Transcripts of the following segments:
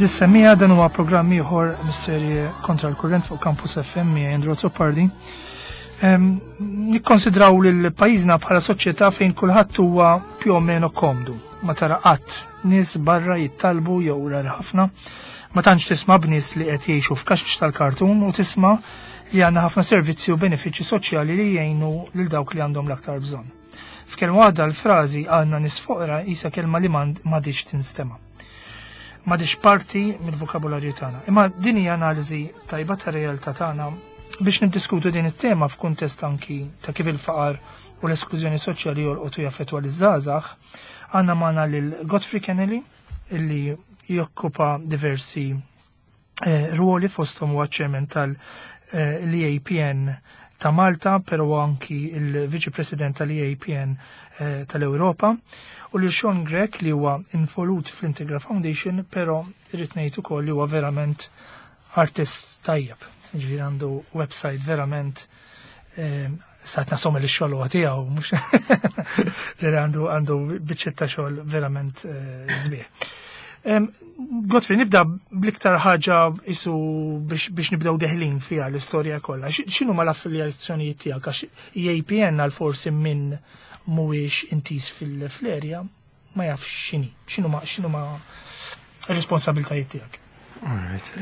Għeżież semmiegħa, dan huwa programm ieħor mis-serje Kontra l-Kurrent fuq Campus FM miegħi Andrew Azzopardi. Nikkonsidraw lil pajjiżna bħala soċjetà fejn kulħadd huwa più o meno komdu. Ma tara qatt nies barra jittalbu jew rari ħafna. Ma tantx tisma' b'nies li qed jgħixu f'kaxx tal-kartun u tisma' li għandna ħafna servizzi u benefiċċji soċjali li jgħinu lil dawk li għandhom l-aktar bżonn. F'kelma waħda l-frażi għandna nies foqra qisha kelma li m'għadhiex tinstema'. M'għadhiex parti mill-vokabularju tagħna. Imma din hija analiżi tajba tar-realtà tagħna biex niddiskutu din it-tema f'kuntest anki ta' kif il-faqar u l-esklużjoni soċjali jolqotu jaffettwa liż-żgħażagħ, għandna magħna lil Godfrey Kennelly illi jokkupa diversi eh, ruoli fosthom huwa chairman tal-EAPN eh, ta' Malta, pero anki il-Viċi President tal-EAPN eh, tal-Ewropa, u li Sean Grech li huwa involut fl-Integra Foundation, pero irrid ngħid ukoll li huwa verament artist tajjeb. Ġifieri għandu website verament Saħt nasom li xogħol huwa tiegħu mhux li għandu għandu biċċetta xogħol verament eh, sbieħ. Godfrey, nibda bl-iktar ħaġa isu biex nibdew deħlin fiha l-istorja kollha. X'inhu ma l-affiljazzjonijiet tiegħek għax EAPN għal forsi minn mhuwiex intiż fil-flerja ma jafx x'inhi, x'inhu ma x'inhu ma responsabiltajiet tiegħek. Alright.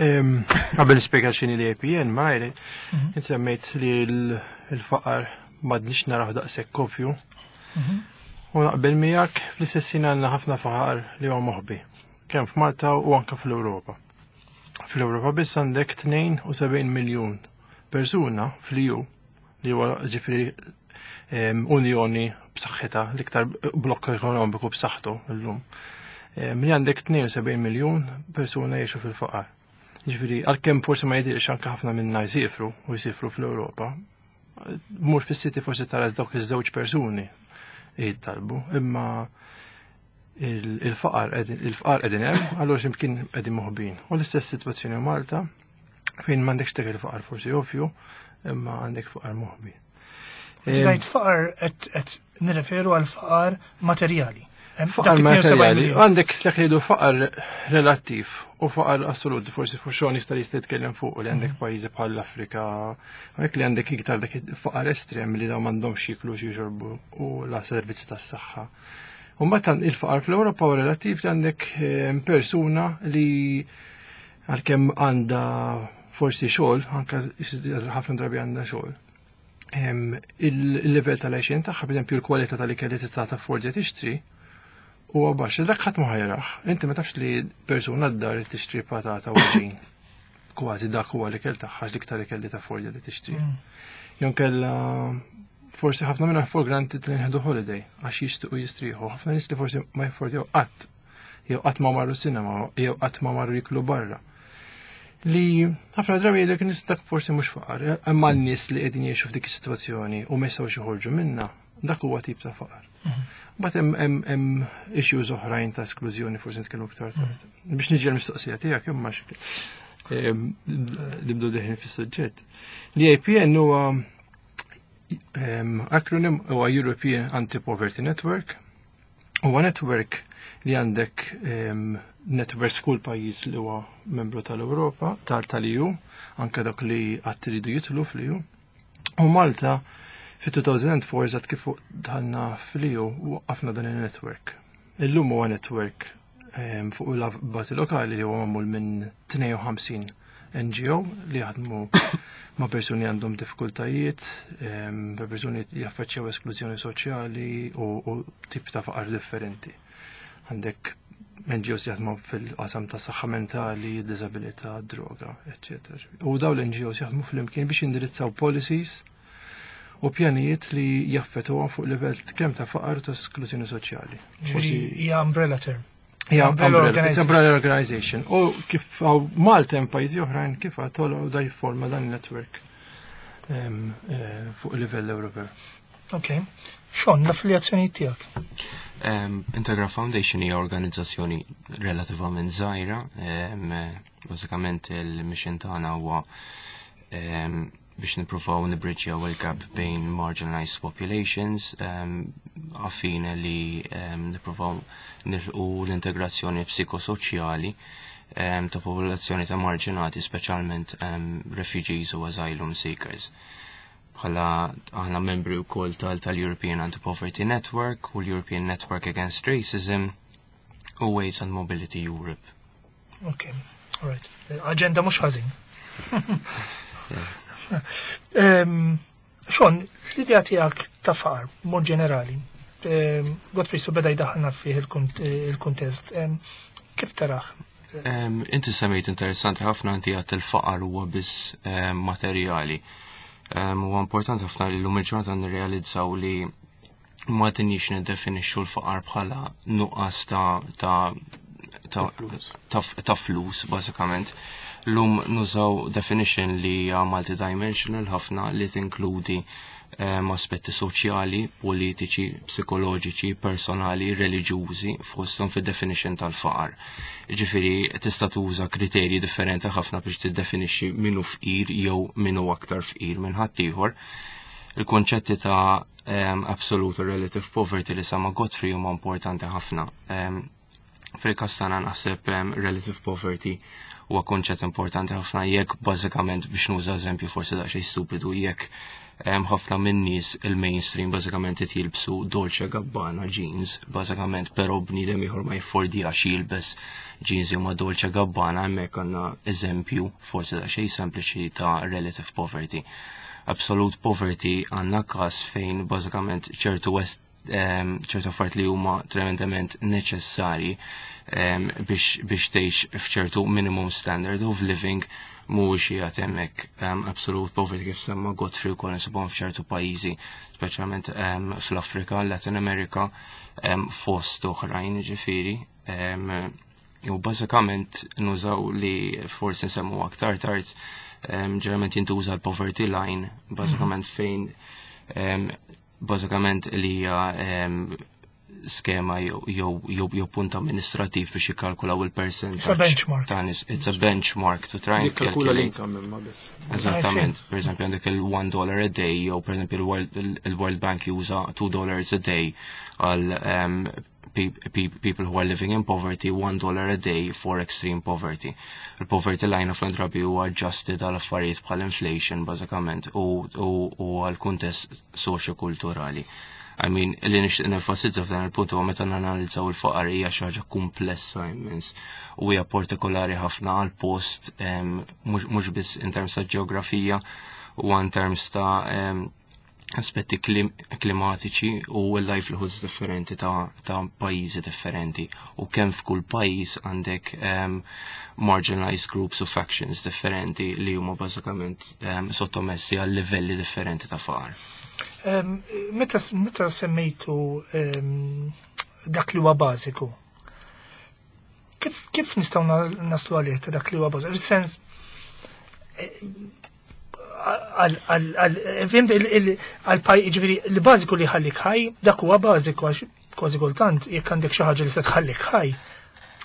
Qabel nispjega x'inhi l-APN ma mhm. semmejt li l-faqar m'għadniex naraw daqshekk ovvju. Mhm. U naqbel miegħek fl-istess ħin għandna ħafna faqar li huwa moħbi, kemm f'Malta u anke fl-Ewropa. Fl-Ewropa biss għandek 72 miljun persuna fl-EU li huwa ġifieri unjoni b'saħħitha, l-iktar blokk ekonomiku b'saħħtu llum. Li għandek 72 miljun persuna jgħixu fil-faqar. Ġifieri għalkemm forsi ma jidhirx anke ħafna minna jsifru u jsifru fl-Ewropa, mur fis-siti forsi tara dawk iż-żewġ persuni jittalbu, imma il-faqar il-faqar qegħdin hemm, allura x'imkien qegħdin moħbin. U l-istess sitwazzjoni Malta fejn m'għandekx dak il-faqar forsi ovvju, imma għandek faqar moħbi. Tgħid faqar qed nirreferu għal faqar materjali. Faqar materjali, għandek dak li faqar relattiv u faqar assolut, forsi fuq xogħol jista' jista' jitkellem fuq li għandek mhm. pajjiżi bħal l-Afrika, għandek li għandek iktar dak faqar estrem li dawn m'għandhomx jiklu xi jxorbu u la servizzi tas-saħħa. U mbagħad il-faqar fl-Ewropa u relattiv li għandek eh, persuna li għalkemm għandha forsi xogħol, anke ħafna drabi għandha xogħol. Il-livell tal-għexin tagħha, pereżempju l-kwalità tal-ikel li tista' taffordja tixtri, huwa baxx. Dak ħadd ma ħajrah. Inti ma tafx li persuna d-dar tixtri patata u ġin. Kważi dak huwa l-ikel tagħha l-iktar ikel li taffordja li tixtri. Mm. Jon kella forsi ħafna minna for granted li nħedu holiday għax jixtiequ jistrieħu. Ħafna nies li forsi ma jaffordjaw qatt jew qatt ma marru cinema jew qatt ma marru jiklu barra. Li ħafna drabi jgħidlek nies dak forsi mhux faqar, imma n-nies li qegħdin jgħixu f'dik is-sitwazzjoni u ma jistgħux joħorġu minnha, dak huwa tip ta' faqar. Mhm. Mbagħad hemm issues oħrajn ta' esklużjoni forsi nitkellmu iktar tard. Mhm. Biex niġi l-mistoqsija tiegħek imma nibdu deħin fis-suġġett. L-APN huwa acronym huwa European Anti-Poverty Network. Huwa network li għandek networks f'kull pajjiż li huwa membru tal-Ewropa, tal-EU, anke dak li qatt iridu jidħlu fl-EU. U Malta fit-2004 eżatt kif dħalna fl-EU waqqafna dan il-network. Illum huwa network fuq il-bażi lokali li huwa magħmul minn 52 NGO li jaħdmu ma' persuni għandhom diffikultajiet, persuni li jaffaċċjaw esklużjoni soċjali u tip ta' faqar differenti. Għandek NGOs jaħdmu fil-qasam ta' saħħa mentali, disabilità, droga, etc. U daw l-NGOs jaħdmu fl-imkien biex indirizzaw policies u pjanijiet li jaffetwa fuq livell kemm ta' faqar ta' esklużjoni soċjali. Hija umbrella term. Hija umbrella, umbrella organization. U kif għaw Malta hemm pajjiżi oħrajn kif għatol u da jifforma dan il-network eh, fuq livell Ewropew. Ok. Xon, l-affiljazzjoni tiegħek? Integra Foundation hija organizzazzjoni relativament żgħira, bażikament il-mission tagħna huwa biex nippruvaw nibridġjaw il-gap bejn marginalized populations, għaffin li nippruvaw nilqu l-integrazzjoni psikosoċjali. ta' popolazzjoni ta' marġinati, speċjalment refugees u asylum seekers. Bħala aħna membri wkoll tal-European Anti-Poverty Network u l-European Network Against Racism u Ways and Mobility Europe. Ok, all right. Agenda mhux ħażin. Sean, l-idea tiegħek ta' faqar, mod ġenerali, Godfrey su beda jdaħħalna fih il-kuntest. Kif taraħ? Inti semmejt interessanti ħafna, inti għedt il-faqar huwa biss materjali. Huwa importanti ħafna li l-lum il-ġurnata nirrealizzaw li ma tinix niddefinixxu l-faqar bħala nuqqas ta' flus, bażikament. Lum nużaw definition li hija multidimensional ħafna li tinkludi aspetti soċjali, politiċi, psikoloġiċi, personali, reliġjużi fosthom fid-definition tal-faqar. Ġifieri tista' tuża kriterji differenti ħafna biex tiddefinixxi min hu fqir jew min hu aktar fqir minn ħaddieħor. Il-konċetti ta' absolute relative poverty li semma Godfrey huma importanti ħafna. Fil-każ tagħna naħseb relative poverty huwa konċett importanti ħafna jekk bażikament, biex nuża eżempju forsi daqsxejn stupidu, jekk ħafna minn nies il-mainstream bażikament qed jilbsu Dolce Gabbana jeans, bażikament, però bniedem ieħor ma jiffordjax jilbes jeans jew ma Dolce Gabbana, hemmhekk għandna eżempju forsi daqsxejn sempliċi ta' relative poverty. Absolute poverty għandna każ fejn bażikament ċertu affarijiet li huma tremendament neċessari biex tgħix f'ċertu minimum standard of living mhuwiex qiegħed hemmhekk. Absolute poverty, kif semma Godfrey wkoll, insibhom f'ċertu pajjiżi, speċjalment fl-Afrika, Latin America, fost oħrajn ġifieri. U bażikament nużaw li forsi nsemmu aktar tard, ġeneralment jintuża l-poverty line, bażikament fejn bażikament li hija skema jew punt amministrativ biex jikkalkulaw il-percentage. It's a benchmark. Ta' nies. It's a benchmark to try and Jikkalkula calculate. l-income imma biss. Eżattament. Per esempio għandek il-$1 a day, jew per esempio il-World Bank juża $2 a day għal people who are living in poverty, $1 a day for extreme poverty. Il-poverty line ħafna drabi huwa adjusted għal affarijiet bħal inflation bażikament u għal kuntest soċjokulturali. I mean, li nixtieq nenfasizza f'dan il-punt huwa meta nanalizzaw il-faqar hija xi ħaġa komplessa immens u hija partikolari ħafna għal post, mhux biss in terms ta' ġeografija u in terms ta' aspetti klimatiċi u l-livelihoods differenti ta' pajjiżi differenti u kemm f'kull pajjiż għandek marginalized groups u factions differenti li huma bażikament sottomessi għal livelli differenti ta' faqar. Meta semmejtu dak li huwa bażiku, kif nistgħu naslu għalih ta' dak li huwa bażiku? Fis-sens, fhimt, għal ġifieri li bażiku li ħallik ħaj, dak huwa bażiku, għax kważi kultant jekk għandek xi ħaġa li se tħallik ħaj,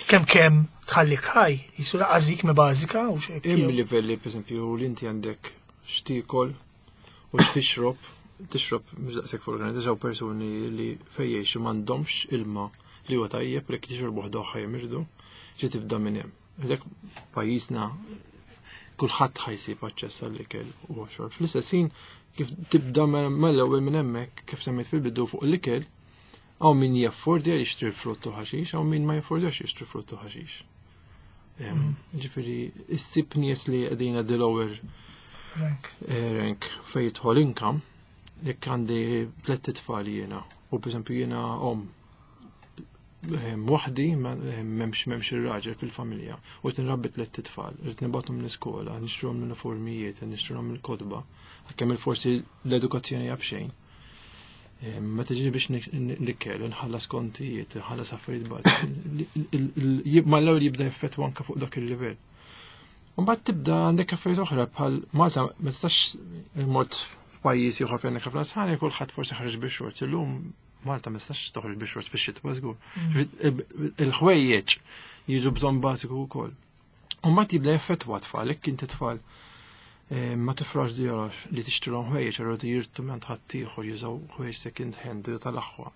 kemm tħallik ħaj, jisu laqas dik mi bażika u x'hekk. Hemm livelli, pereżempju, li inti għandek x'tiekol u x'tixrob, tixrob mhux daqshekk fuq organizzaw persuni li fejn jgħixu m'għandhomx ilma li huwa tajjeb li jixorbu ħdoħ jimirdu, ġi tibda minn hemm. Dak pajjiżna kulħadd ħa jsib aċċess għall-ikel u xorb. Fl-istess ħin kif tibda mal-ewwel minn hemmhekk, kif semmejt fil-bidu fuq l-ikel, hawn min jaffordja jixtri frott u ħaxix, hawn min ma jaffordjax jixtri frott u ħaxix. Ġifieri issib nies li qegħdin the lower rank. Rank fejn jidħol income, jekk għandi tliet tfal jiena, u pereżempju jiena om waħdi, m'hemmx ir-raġel fil-familja, u qed inrabbi tliet tfal, irrid nibgħathom l-iskola, nixtruhom l-uniformijiet, nixtruhom il-kotba, għalkemm il-forsi l-edukazzjoni hija b'xejn. Meta ġi biex nikkel, nħallas kontijiet, nħallas affarijiet bad. Mal-ewwel jibda jaffettwa anke fuq dak il-livell. Mbagħad tibda għandek affarijiet oħra bħal Malta, ma tistax mort f'pajjiż ieħor fejn għandek ħafna sħana, kulħadd forsi ħareġ bix-shorts. Illum Malta ma tistax toħroġ bix-shorts fix-xitwa żgur. Il-ħwejjeġ jiġu bżonn bażiku wkoll. U mbagħad jibda jaffettwa tfal, jekk inti tfal ma tifrax djarax li tixtrilhom ħwejjeġ, allura jirtu minn ħaddieħor jużaw ħwejjeġ second hand jew tal-aħwa.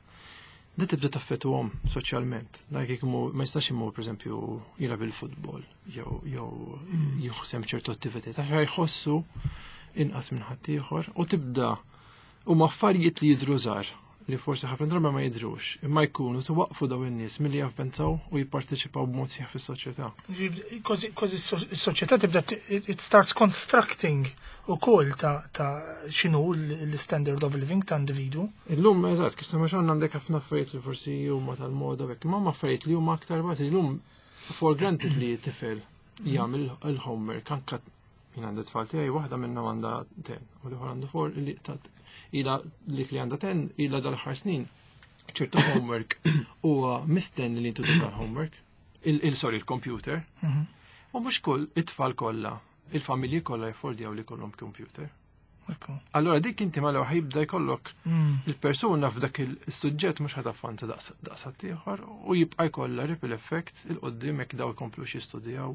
Da tibda taffettwahom soċjalment. Dak jekk ma jistax imur, pereżempju, jilgħab il-futbol jew jieħu sehem ċertu attivitajiet għax jħossu inqas minn ħaddieħor u tibda huma affarijiet li jidhru żgħar li forsi ħafna drabi ma jidhrux, imma jkunu twaqfu daw in-nies milli javvenzaw u jipparteċipaw b'mod sħiħ fis-soċjetà. Kważi s-soċjetà tibda, it starts constructing ukoll ta' x'inhu l-standard of living ta' individu. Illum, eżatt, kif sama xogħol għandek ħafna affarijiet li forsi huma tal-moda u hekk, imma huma affarijiet li huma aktar bażi. Illum for granted li tifel jagħmel il-homework, anka jien għandi tfal tiegħi, waħda minnhom għandha 10 u l-ieħor għandu 4, li ta' ila lik li għandha 10 ila dal-aħħar snin ċertu homework huwa mistenni li tuża homework, il-sorry, il-computer. U mhux kull it-tfal kollha, il-familji kollha jaffordjaw li jkollhom computer. Allora dik inti mal jibda jkollok il-persuna f'dak il-suġġett mhux ħa tavvanza daqs ieħor u jibqa' jkollha ripple effect 'il quddiem jekk daw jkomplux jistudjaw.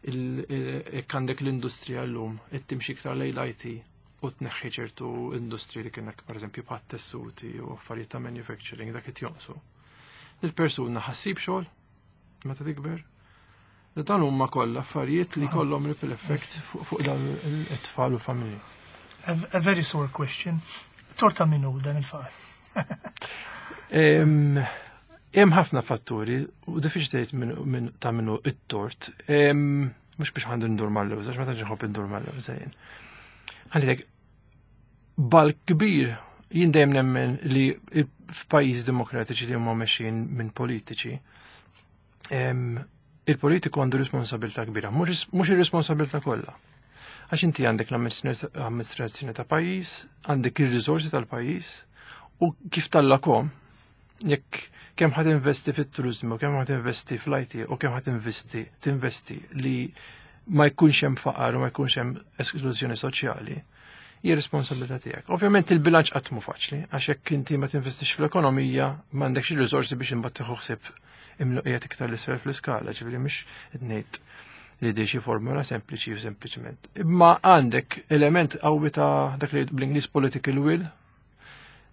Jekk għandek l-industrija llum qed timxi iktar lejn l-IT u tneħħi ċertu industri li kienek, pereżempju, bħat tessuti u affarijiet ta' manufacturing, dak qed jonqsu. Il-persuna ħa ssib xogħol meta tikber? Li dan huma kollha affarijiet li kollhom ripple effect fuq dawn it-tfal u familji. A very sore question. Tort ta' min hu dan il-faqar? Hemm ħafna fatturi u diffiċli tgħid ta' min hu it-tort. Mhux biex għandu ndur mal-lewża, għax ma tantx nħobb indur mal-lewża jien. Għandek bal kbir, jien dejjem nemmen li f'pajjiż demokratiċi li huma mexjin minn politiċi, il-politiku għandu responsabilità kbira, mhux ir-responsabilità kollha. Għax inti għandek l-amministrazzjoni ta' pajjiż, għandek ir-riżorsi tal-pajjiż u kif tallakom, jekk kemm ħad investi fit-turizmu, kemm ħad investi fl-IT u kemm ħad tinvesti li ma jkunx hemm faqar u ma jkunx hemm esklużjoni soċjali, hija responsabilità tiegħek. Ovvjament il-bilanċ qatt mhu faċli, għax jekk inti ma tinvestix fl-ekonomija, m'għandekx ir-riżorsi biex imbagħad tieħu ħsieb imluqijiet iktar l-isfel fl-iskala, ġifieri mhux qed ngħid li di xi formula sempliċi u sempliċement. Imma għandek element qawwi ta' dak li bl-Ingliż political will,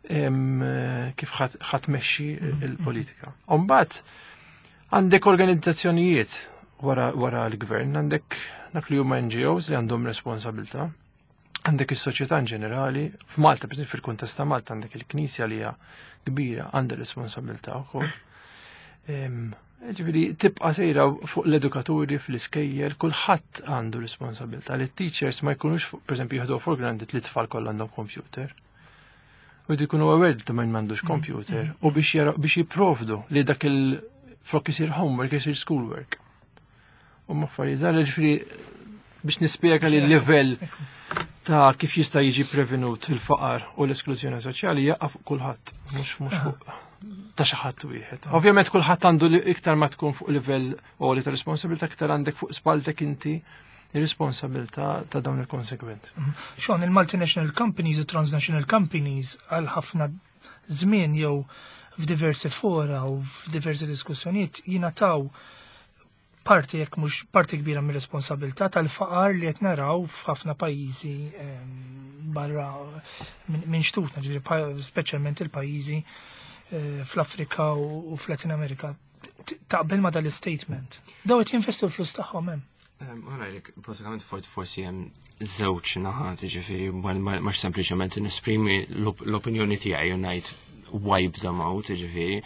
kif ħadd tmexxi il-politika. Imbagħad għandek organizzazzjonijiet wara l-gvern, għandek dak li huma NGOs li għandhom responsabilità, għandek is-soċjetà in ġenerali, f'Malta, per fil-kuntest ta' Malta, għandek il-Knisja li hija kbira, għandha responsabilità wkoll. Ġifieri tibqa' sejra fuq l-edukaturi fl-iskejjel, kulħadd għandu responsabilità li t-teachers ma jkunux, pereżempju, jieħdu for granted li t-tfal kollha għandhom computer. U jridu jkunu aware li min m'għandux computer u biex jipprovdu li dak il flok isir homework isir schoolwork. U ma affarijiet żgħar, ġifieri biex nispjega li l-livell ta' kif jista' jiġi prevenut il-faqar u l-esklużjoni soċjali jaqa' fuq kulħadd, mhux fuq ta' xi ħadd wieħed. Ovvjament kulħadd għandu li iktar ma tkun fuq livell għoli ta' responsabilità, iktar għandek fuq spalltek inti ir-responsabilità ta' dawn il-konsekwenzi. Sean, il-multinational companies u transnational companies għal ħafna żmien jew f'diversi fora u f'diversi diskussjonijiet jingħataw parti, jekk mhux parti kbira, mir-responsabilità tal-faqar li qed naraw f'ħafna pajjiżi barra minn xtutna, ġifieri speċjalment il-pajjiżi fl-Afrika u fl-Latin Amerika. Taqbel ma dal-statement? Daw qed jinvestu l-flus tagħhom hemm. Għalek, bażikament forsi hemm żewġ naħat, ġifieri mhux sempliċement nesprimi l-opinjoni tiegħi u ngħid "wipe them out", ġifieri.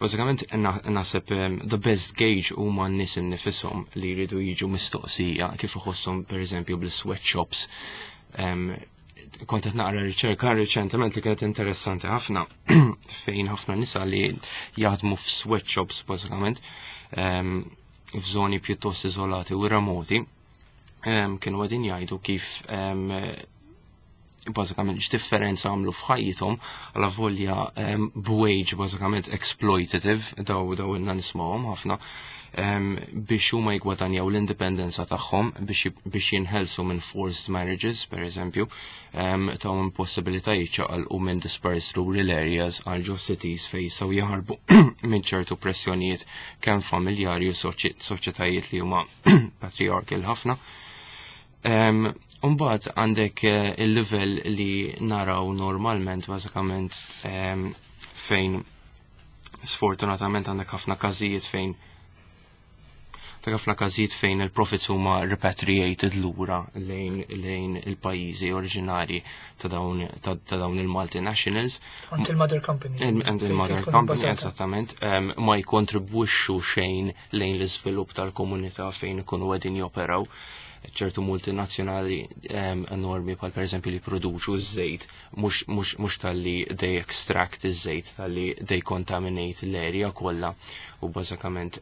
Bażikament naħseb the best gauge huma n-nies innifishom li jridu jiġu mistoqsija kif iħosshom, pereżempju, bl-sweatshops. Kont qed naqra riċerka riċentement li kienet interessanti ħafna, fejn ħafna nisa li jaħdmu f'sweatshops, bażikament f'żoni pjuttost iżolati u remoti, kienu qegħdin jgħidu kif bażikament x'differenza għamlu f'ħajjithom għala volja b'wage bażikament exploitative, daw ilna nismawhom ħafna, biex huma jgwadanjaw l-indipendenza tagħhom, biex jinħelsu minn forced marriages, per eżempju, tawhom possibilità jiċċaqalqu minn dispersed rural areas għal ġo cities fejn jistgħu jaħarbu minn ċertu pressjonijiet kemm familjari u soċjetajiet li huma patriarchal ħafna. Umbagħad għandek il-livell li naraw normalment, bażikament fejn Sfortunatament għandek ħafna każijiet fejn ta' ħafna każijiet fejn il-profits huma repatriated lura lejn il-pajjiżi oriġinari ta' dawn ta' dawn il-multinationals. Għand il-mother company. Għand il-mother company, esattament, ma jkontribwixxu xejn lejn l-iżvilupp tal-komunità fejn ikunu qegħdin joperaw. Ċertu multinazzjonali enormi bħal pereżempju li produċu ż-żejt, mhux talli they extract iż-żejt, talli they contaminate l-area kollha u bażikament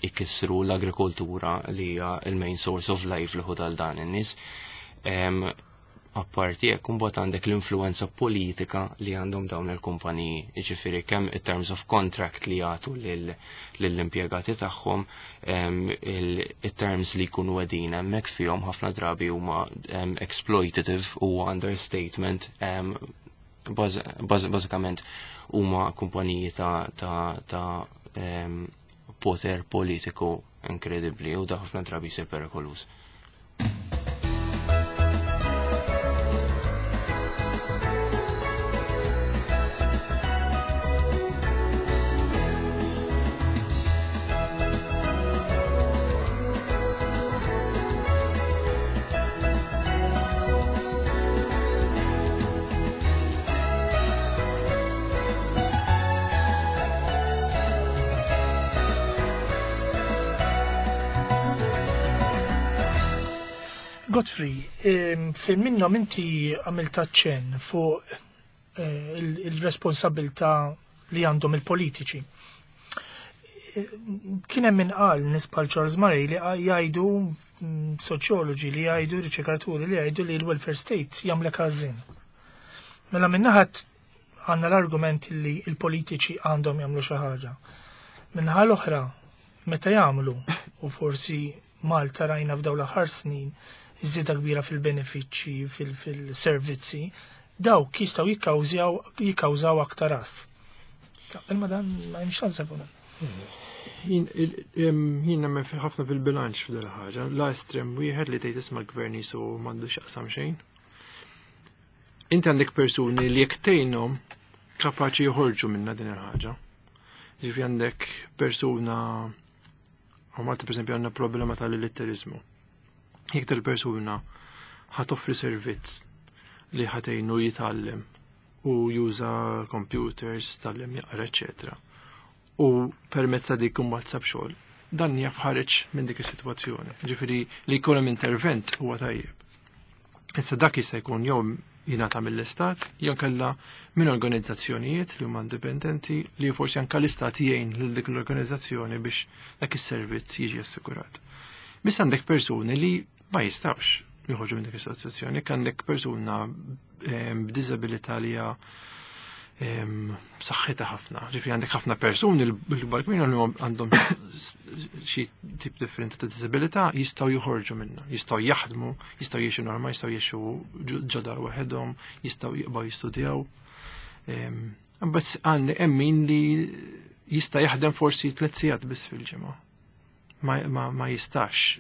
ikissru l-agrikoltura li hija il-main source of livelihood għal dan in-nies. Apparti hekk, imbagħad għandek l-influenza politika li għandhom dawn il-kumpaniji, jiġifieri kemm in terms of contract li jagħtu lill-impjegati tagħhom, il-terms li jkunu qegħdin hemmhekk fihom ħafna drabi huma exploitative u understatement. Bażikament huma kumpaniji ta' poter politiku inkredibbli u da ħafna drabi jsir perikoluż. Godfrey, fil minnhom inti għamilt aċċenn fuq il-responsabilità li għandhom il-politiċi. Kien hemm min qal, nies bħal Charles Murray li jgħidu, soċjoloġi li jgħidu, riċerkaturi li jgħidu li l-welfare state jagħmlek għażin. Mela min-naħa għandna l-argument li il-politiċi għandhom jagħmlu xi ħaġa. Min-naħa l-oħra, meta jagħmlu, u forsi Malta rajna f'dawn l-aħħar snin iżieda kbira fil-benefiċċji, fil-servizzi, dawk jistgħu jikkawżaw aktar as. Taqbel ma dan, ma hemmx għażel dan? Jien nemmen ħafna fil-bilanċ f'dil ħaġa. La estrem wieħed li tgħid isma' l-gvern jisu m'għandux x'jaqsam xejn. Inti għandek persuni li jekk tgħinhom kapaċi joħorġu minna din il-ħaġa. Ġifieri għandek persuna, u Malta pereżempju għandna problema tal-illitterizmu. Jekk tal-persuna ħa toffri servizz li ħa tgħinu jitgħallem u juża computers, tgħallem jaqra, eccetera. U permezz ta' dik imbagħad sab xogħol. Dan jaf ħareġ minn dik is-sitwazzjoni. Ġifieri li jkun hemm intervent huwa tajjeb. Issa dak jista' jkun jew jingħata mill-istat, jew kellha minn organizzazzjonijiet li huma indipendenti li forsi anke l-istat jgħin lil dik l-organizzazzjoni biex dak is-servizz jiġi assigurat. Biss għandek persuni li ma jistgħux joħorġu minn dik is-sitwazzjoni, jekk għandek persuna b'diżabilità li hija b'saħħitha ħafna. Ġifieri għandek ħafna persuni l-kbar kbir li għandhom xi tip differenti ta' diżabilità jistgħu joħorġu minnha, jistgħu jaħdmu, jistgħu jgħixu normal, jistgħu jgħixu ġodar waħedhom, jistgħu jibqgħu jistudjaw. Biss għandi hemm min li jista' jaħdem forsi 3 sigħat biss fil-ġimgħa. Ma jistax,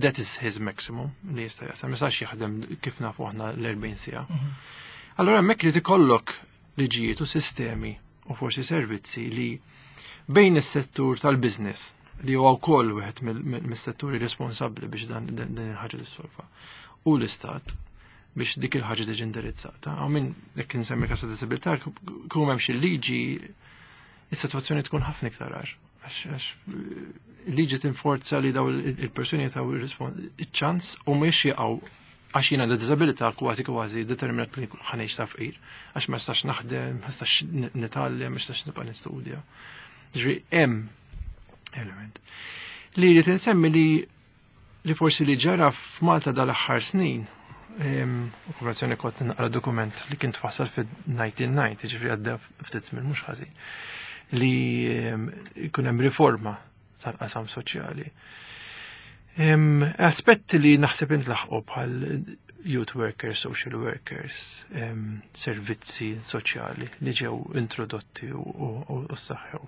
that is his maximum li jista' jasal, ma jistax jaħdem kif nafu aħna l-40 siegħa. Allora hemmhekk li tikollok liġijiet u sistemi u forsi servizzi li bejn is-settur tal-business li huwa wkoll wieħed mis-setturi responsabbli biex dan il-ħaġa tissolva u l-istat biex dik il-ħaġa tiġi indirizzata. Għaw minn jekk insemmi każ ta' disabilità, kum hemm xi liġi, is-sitwazzjoni tkun ħafna iktar għar. Għax liġi tinforza li daw il-persuni taw il-ċans u mhux jaqgħu għax jiena da disabilità kważi kważi determinat li ħa ngħix ta' fqir, għax ma nistax naħdem, ma nistax nitgħallem, ma nistax nibqa' nistudja. Ġifieri hemm element. Li li tinsemmi li forsi li ġara f'Malta dal-aħħar snin, u konversazzjoni kont naqra dokument li kien tfassal fid-1990, ġifieri għadda ftit żmien mhux ħażin, li jkun hemm riforma tal-qasam soċjali. Aspetti li naħseb intlaħqu bħal youth workers, social workers, servizzi soċjali li ġew introdotti u saħħew.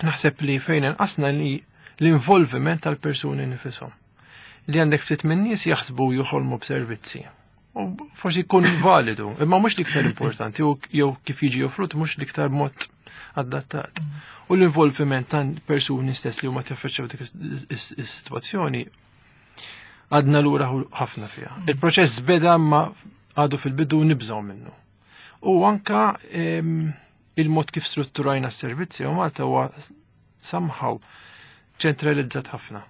Naħseb li fejn inqasna li l-involviment tal-persuni nifishom. Li għandek ftit minn nies jaħsbu joħolmu b'servizzi. U forsi jkun validu, imma mhux l-iktar importanti, jew kif jiġi offrut mhux l-iktar mod adattat. U l-involviment ta' persuni stess li huma taffaċċjaw dik is-sitwazzjoni għadna lura ħafna fiha. Il-proċess beda ma għadu fil-bidu nibżgħu minnu. U anka il-mod kif strutturajna s-servizzi u Malta huwa somehow ċentralizzat ħafna.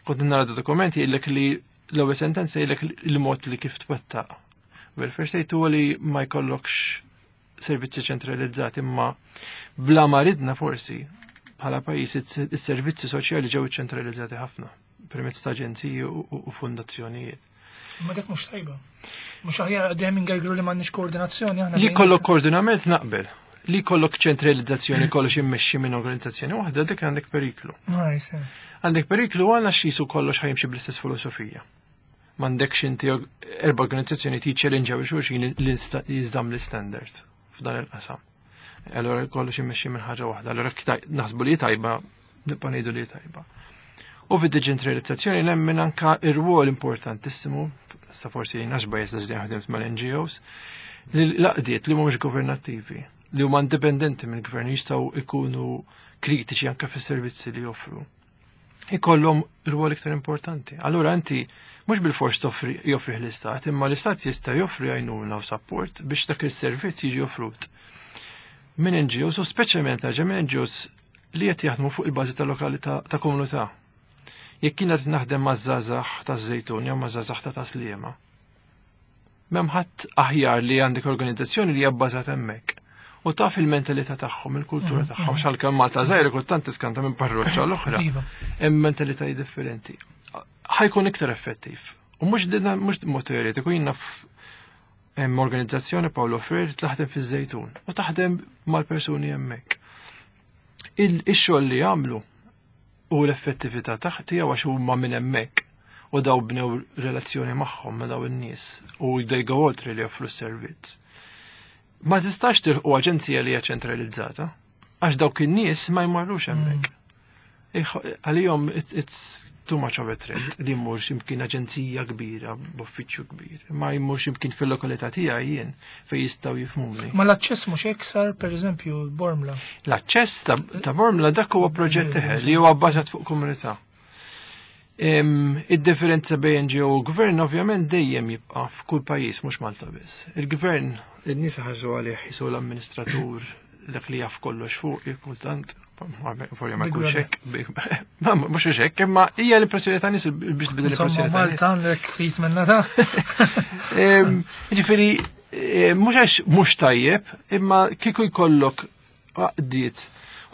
Kont nara dokumenti jgħidlek li l-ewwel sentenza jgħidlek il-mod li kif twettaq. Welfare state huwa li ma jkollokx servizzi ċentralizzati imma bla ma ridna forsi bħala pajjiż is-servizzi soċjali ġew ċentralizzati ħafna permezz ta' aġenziji u fundazzjonijiet. Ma dak mhux tajba. Mhux aħjar dejjem ingergru li m'għandniex koordinazzjoni aħna. Li kollok koordinament naqbel. Li kollok ċentralizzazzjoni kollox immexxi minn organizzazzjoni waħda dik għandek periklu. Għandek periklu għal qisu kollox ħa jimxi bl-istess filosofija. M'għandekx inti erba' organizzazzjoni tiċċellinġaw xulxin li jiżdam l-standard f'dan il-qasam. Allora kollox immexxi minn ħaġa waħda. Allora naħsbu li tajba, nibqa' ngħidu li tajba. U fid-deċentralizzazzjoni nemmen anka ir-rwol importantissimu, sa forsi għax bias għax ħdimt mal-NGOs, li l-għaqdiet li mhumiex governattivi, li huma indipendenti mill-gvern jistgħu ikunu kritiċi anka fis-servizzi li joffru. Ikollhom rwol iktar importanti. Allura inti mhux bil-fors toffri joffri l-istat, imma l-istat jista' joffri għajnuna u support biex dak il-servizz jiġi offrut. Minn NGOs u speċjalment ħaġa minn NGOs li qed jaħdmu fuq il-bażi ta' lokalità ta' komunità. Jekk kien qed naħdem maż-żgħażagħ taż-Żejtun jew maż-żgħażagħ ta' Tas-Sliema. M'hemm ħadd aħjar li għandek organizzazzjoni li hija bbażata hemmhekk. U taf il-mentalità tagħhom, il-kultura tagħhom, x'għalkemm Malta żgħira kultant tiskanta minn parroċċa l-oħra. Hemm mentalitajiet differenti. Ħa jkun iktar effettiv. U mhux mhux mod teoretiku jien naf hemm organizzazzjoni Paolo Freire taħdem fiż-Żejtun u taħdem mal-persuni hemmhekk. Ix-xogħol li jagħmlu u l-effettività tiegħu għax huma minn hemmhekk u daw bnew relazzjoni magħhom ma' daw in-nies u they go oltre li joffru s-servizz. Ma tistax tilħu aġenzija li hija ċentralizzata għax dawk in-nies ma jmorrux hemmhekk. Għalihom it's too much of a threat li jmur x'imkien aġenzija kbira b'uffiċċju kbir. Ma jmur x'imkien fil-lokalità tiegħi jien fejn jistgħu jifhmuni. Ma l-aċċess mhux iksar pereżempju Bormla. L-aċċess ta' Bormla dak huwa proġett eħe li huwa bbażat fuq komunità. Id-differenza bejn NGO u gvern ovvjament dejjem jibqa' f'kull pajjiż mhux Malta biss. Il-gvern in-nies ħarsu għalih jisu l-amministratur dak li jaf kollox fuq kultant forsi ma jkunx hekk. Mhux hekk, imma hija l-impressjoni ta' nies biex tbidel l-impressjoni. Malta għandek ftit minna ta' Ġifieri mhux għax mhux tajjeb, imma kieku jkollok għaqdiet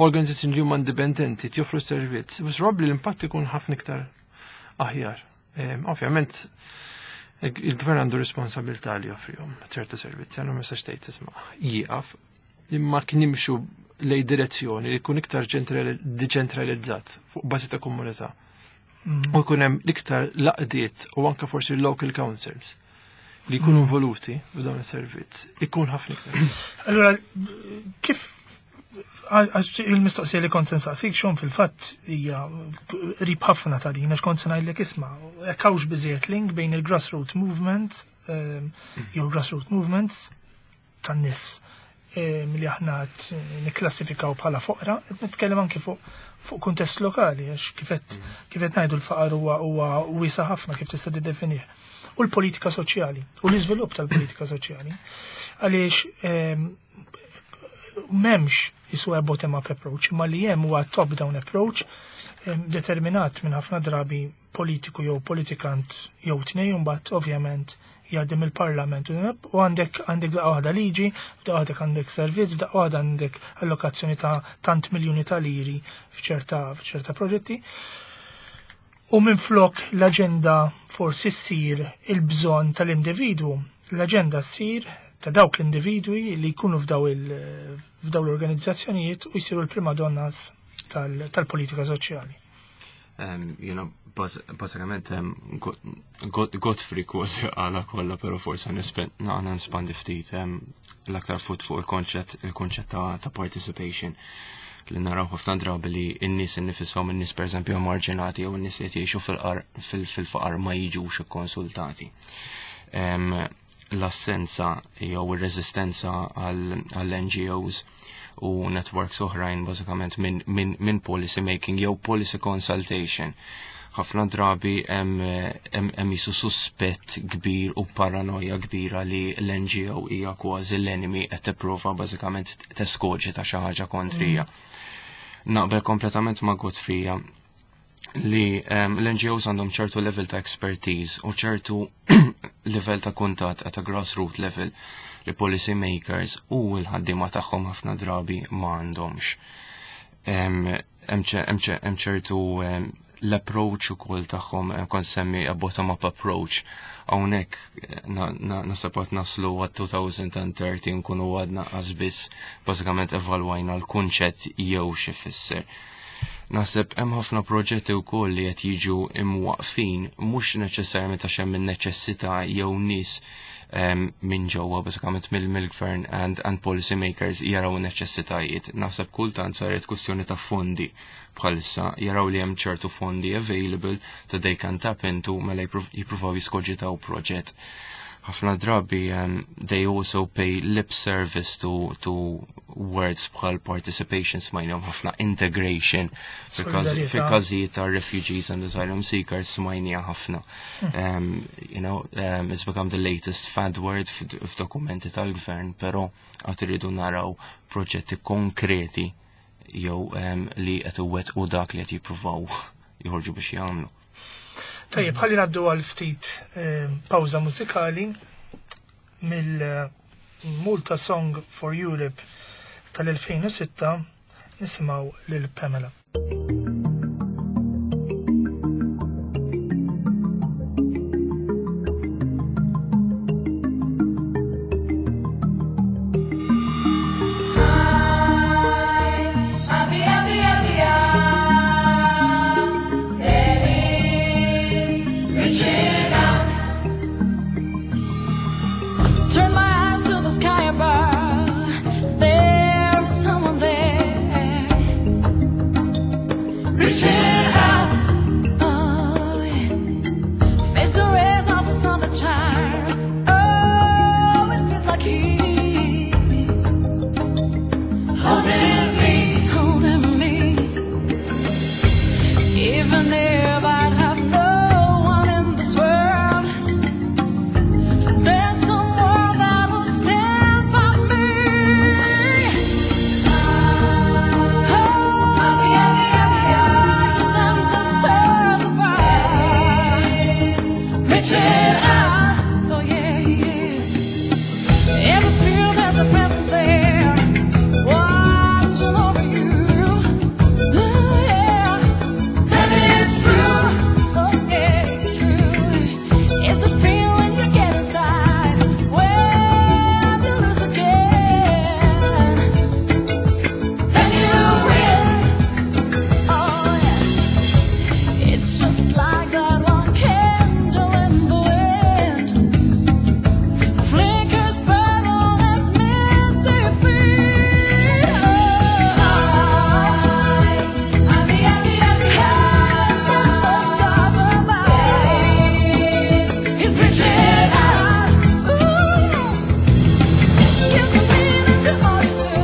organizzazzjoni li huma indipendenti joffru servizz, biex probabbli l-impatt ikun ħafna iktar aħjar. Ovvjament, il-gvern għandu responsabilità li joffrihom ċertu servizzi, għandu ma jistax tgħid tisma' jieqaf, imma kien nimxu lej direzzjoni li jkun iktar deċentralizzat fuq bażi ta' komunità. U jkun hemm iktar għaqdiet u anke forsi local councils li jkunu involuti f'dawn is-servizz, ikun ħafna iktar. Allura, kif il-mistoqsija li kont nsaqsik xon fil-fatt hija qrib ħafna ta' din għax kont se ngħidlek isma' hekk hawnx biżejjed link bejn il-grassroot movement jew grassroot movements tan-nies li aħna nikklassifikaw bħala foqra, qed nitkellem anki fuq kuntest lokali għax kif qed ngħidu l-faqar huwa wiesa ħafna kif tista' tiddefinih. U l-politika soċjali, u l-iżvilupp tal-politika soċjali. Għaliex m'hemmx jisu bottom-up approach, imma li hemm huwa top-down approach determinat minn ħafna drabi politiku jew politikant jew tnej, mbagħad ovvjament jgħaddi mill-parlament u għandek daqqa waħda liġi, f'daqqa waħda għandek servizz, f'daqqa waħda għandek allokazzjoni ta' tant miljuni ta' liri f'ċerta proġetti. U minn flok l-aġenda forsi ssir il-bżonn tal-individwu, l-aġenda ssir ta' dawk l-individwi li jkunu f'daw l-organizzazzjonijiet u jsiru l-prima donnas tal-politika soċjali. Jiena bażikament Godfrey kważi għala kollha, però forsi naqna nispandi ftit l-aktar fuq il-konċett ta' participation li naraw ħafna drabi li n-nies innifishom, in-nies pereżempju marġinati jew n-nies li jgħixu fil-faqar ma jiġux ikkonsultati. L-assenza jew ir-reżistenza għall-NGOs. u networks oħrajn bażikament minn min, min policy making jew policy consultation. Ħafna drabi hemm jisu suspett kbir u paranoja kbira li l-NGO hija kważi l-enemy qed tipprova bażikament teskoġita xi ħaġa kontrija. Naqbel kompletament ma' Godfrey li l-NGOs għandhom ċertu level ta' expertise u ċertu level ta' kuntatt at a grassroot level li policy makers u l-ħaddiema tagħhom ħafna drabi ma għandhomx. Hemm ċertu l-approach ukoll tagħhom kont semmi a bottom-up approach. Hawnhekk nasab għad naslu għad 2030 nkunu għadna biss bażikament evalwajna l-kunċett jew xi fisser. Naħseb hemm ħafna proġetti wkoll li qed jiġu imwaqfin mhux neċessarjament għax hemm in-neċessità jew nies minn ġewwa bażikament mill-gvern and policy makers jaraw neċessitajiet. Naħseb kultant saret kwestjoni ta' fondi bħalissa jaraw li hemm ċertu fondi available that they can tap into mela jippruvaw jiskoġitaw proġett. Ħafna drabi they also pay lip service to words bħal participation, smajnihom ħafna, integration Solidarjetà. fi każijiet ta' refugees and asylum seekers smajnija ħafna. It's become the latest fad word f'dokumenti tal-gvern, però għad irridu naraw proġetti konkreti jew li qed iwettqu dak li qed jippruvaw joħorġu biex jagħmlu. Tajjeb, ħalli ngħaddu għal ftit pawża mużikali mill-Malta Song for Europe tal-2006 nisimgħu lil Pamela. Happy, happy, happy, there is reaching out. Turn my eyes to the sky above. There's someone there. Reaching out. Oh, yeah. Face the rays of the sun that shines. Oh, it feels like he's holding me. He's holding me. Even if I'd have no one in this world, there's someone that will stand by me. Oh, Happy, happy, happy, then the stars above. Reaching out. Oh yeah, he is. Ever feel there's a presence there, watching over you? Ooh, yeah. And it's true. Oh yeah, it's true. It's the feeling you get inside when you lose again. Then you win. Oh yeah. It's just like that one candle in the wind flickers burn at mid defeat. Happy, happy, happy, The stars above. He's reaching out. Ooh. Gives a meaning to all you do,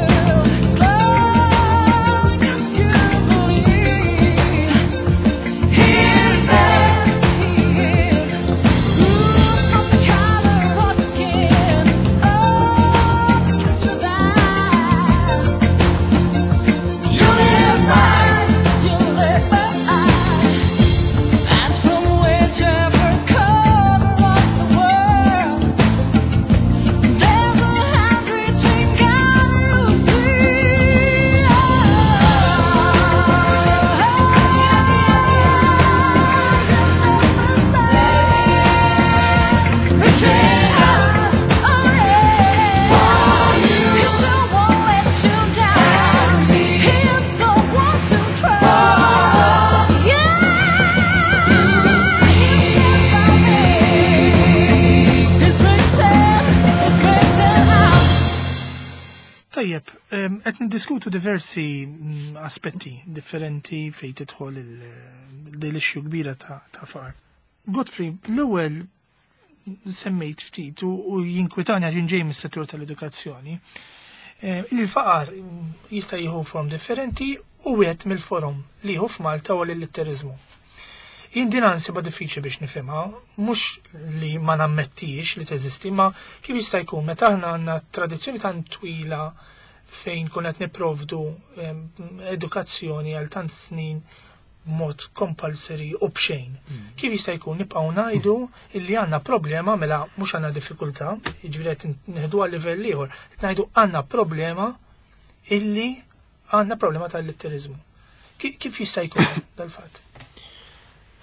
as long as you believe. He is there. He is. Ooh, it's not the color of your skin. Oh, the culture that You live by. you live by. And from whichever corner of the world, there's a hand reaching out, you see. Reaching out. Oh yeah. He sure won't let you down. He's the one to trust. Yeah. He's reaching, he's reaching out. Tajjeb, qed niddiskutu diversi aspetti differenti fejn tidħol l-issue kbira ta' faqar. Godfrey, l-ewwel semmejt ftit u jinkwitani għax ġej mis-settur tal-edukazzjoni. Il-faqar jista' jieħu form differenti u wieħed mill-forom li jieħu f'Malta huwa l-illitteriżmu. Jien din nsibha diffiċli biex nifhimha, mhux li ma nammettix li teżisti, ma kif jista' jkun meta aħna għandna tradizzjoni tant twila fejn kun qed nipprovdu edukazzjoni għal tant snin b'mod compulsory u b'xejn. Kif jista' jkun nibqgħu ngħidu illi għandna problema mela mhux għandna diffikultà, jiġifieri qed nieħdu għal livell ieħor, qed ngħidu għandna problema illi għandna problema tal-litteriżmu. Kif jista' jkun dal-fatt?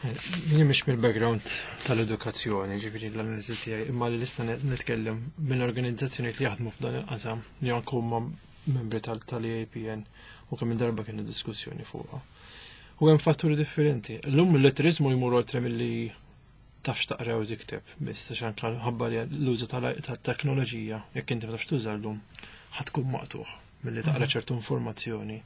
Jien mhix mill-background tal-edukazzjoni, ġifieri l-analiżi tiegħi, imma li nista' nitkellem minn organizzazzjonijiet li jaħdmu f'dan il-qasam li anke huma membri tal-EAPN u kemm darba kienu diskussjoni fuqha. U hemm fatturi differenti. Llum il-litteriżmu jmur oltre milli tafx taqra u tikteb, biss għax anke ħabba li l-użu tat-teknoloġija, jekk inti ma tafx tuża llum, ħa tkun maqtuħ milli taqra ċertu informazzjoni.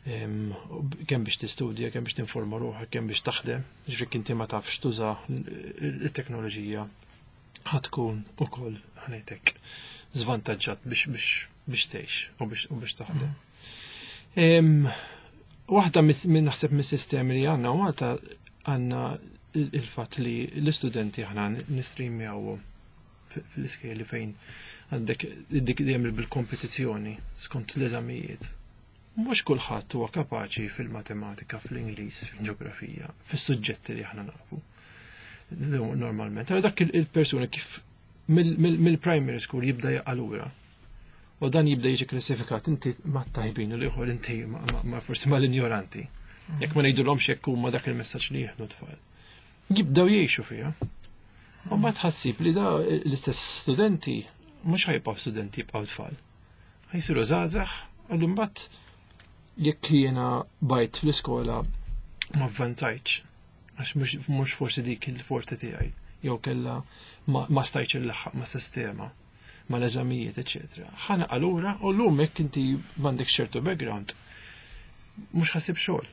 Kemm biex tistudja, kemm biex tinforma ruħek, kemm biex taħdem, ġifieri inti ma tafx tuża il-teknoloġija, ħa tkun ukoll ħanejtek żvantaġġat biex tgħix u biex taħdem. Waħda minn naħseb mis-sistemi li għandna u Malta għandna il-fatt li l-istudenti aħna nistreamjawhom fl-iskejjel fejn għandek dik dejjem bil-kompetizzjoni skont l-eżamijiet. Mhux kulħadd huwa kapaċi fil-matematika, fl-Ingliż, fil-ġeografija, fis-suġġetti li aħna nafu. Normalment. Allora dak il-persuna kif mill-primary school jibda jaqa' lura. U dan jibda jiġi klassifikat inti ma tajbin u l-ieħor inti ma forsi ma l-injoranti. Jekk ma ngħidulhomx jekk huma dak il-messaġġ li jieħdu tfal. Jibdew jgħixu fiha. U ma tħassib li da l-istess studenti mhux ħajbqgħu studenti, jibqgħu tfal. Ħajsiru żgħażagħ, għallu mbagħad jekk jiena bajt fl-iskola ma avvanzajtx, għax mhux forsi dik il-forti tiegħi, jew kella ma stajtx il-laħħaq ma' sistema, ma' l-eżamijiet, eċetera. Ħana allura u llum jekk inti m'għandek ċertu background, mhux ħasib xogħol.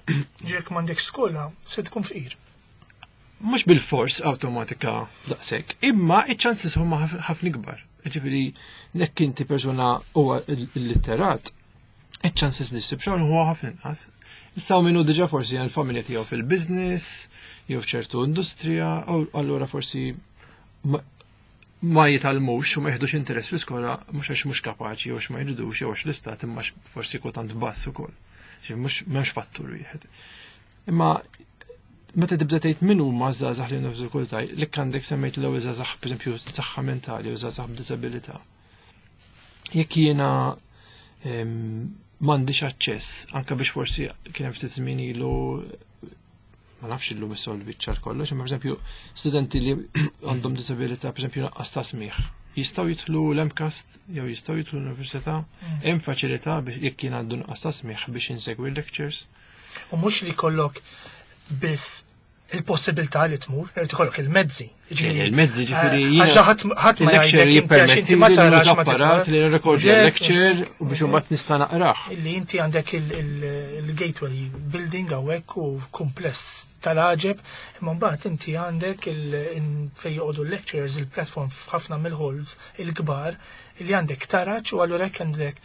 Jekk m'għandek skola, se tkun fqir. Mhux bil-fors awtomatika daqshekk, imma iċ-chances huma ħafna ikbar. Ġifieri jekk inti persuna huwa illitterat, iċ-chances li ssib xogħol huwa ħafna inqas. Issa minnu diġà forsi għal familja tiegħu fil-business, jew f'ċertu industrija, u allura forsi ma jitgħallmux u ma jieħdux interess fl-iskola mhux għax mhux kapaċi jew għax ma jridux jew għax l-istat imma forsi kultant bass ukoll. Ġifieri mhux m'hemmx fattur wieħed. Imma meta tibda tgħid min huma żgħażagħ li għandhom diffikultà, li għandek semmejt l-ewwel żgħażagħ pereżempju saħħa mentali u żgħażagħ b'diżabilità. Jekk jiena m'għandix aċċess, anke biex forsi kien hemm ftit żmien ilu ma nafx illum issolvi ċar kollox, imma pereżempju studenti li għandhom disabilità, pereżempju naqqas ta' smigħ, jistgħu jidħlu l-MCAST jew jistgħu jidħlu l-università, hemm faċilità biex jekk jien għandu nuqqas ta' smigħ biex insegwi l-lectures. U mhux li jkollok biss il-possibilità li tmur, irid ikollok il-mezzi. Ġifieri, Il-mezzi, ġifieri, jiena għax ħadd ma il-lecture jgħidlek inti għax inti ma jippermetti li tarax nuża ma apparat titmur. li nirrekordja Ġek, l-lecture u biex imbagħad nista' naqrah. Illi inti għandek il-Gateway building hawnhekk u kumpless tal-għaġeb, imma mbagħad inti għandek fejn joqogħdu l-lecturers, il-platform f'ħafna mill-halls il-kbar li għandek taraġ u allura hekk għandek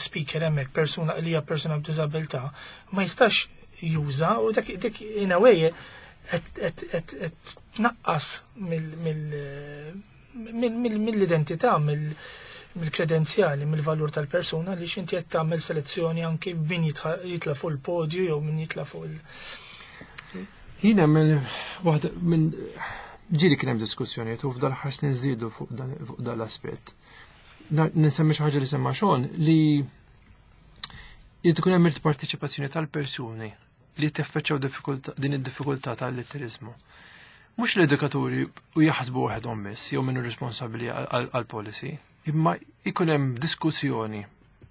speaker hemmhekk persuna li hija persuna b'diżabilità ma jistax juża u dak in a way qed tnaqqas mill-identità, mill-kredenzjali, mill-valur tal-persuna li x'inti qed tagħmel selezzjoni anki min jitla' fuq il-podju jew min jitla' fuq il- Jiena minn waħda minn ġieli kien hemm diskussjonijiet u f'dal ħar snin żdiedu fuq dan l-aspett. Ninsemmi xi ħaġa li semma Sean li jrid ikun hemm il-parteċipazzjoni tal-persuni li teffeċċaw din id-diffikultà tal-litteriżmu. Mhux l-edukaturi u jaħsbu waħedhom biss jew minnu responsabbli għal-policy, imma jkun hemm diskussjoni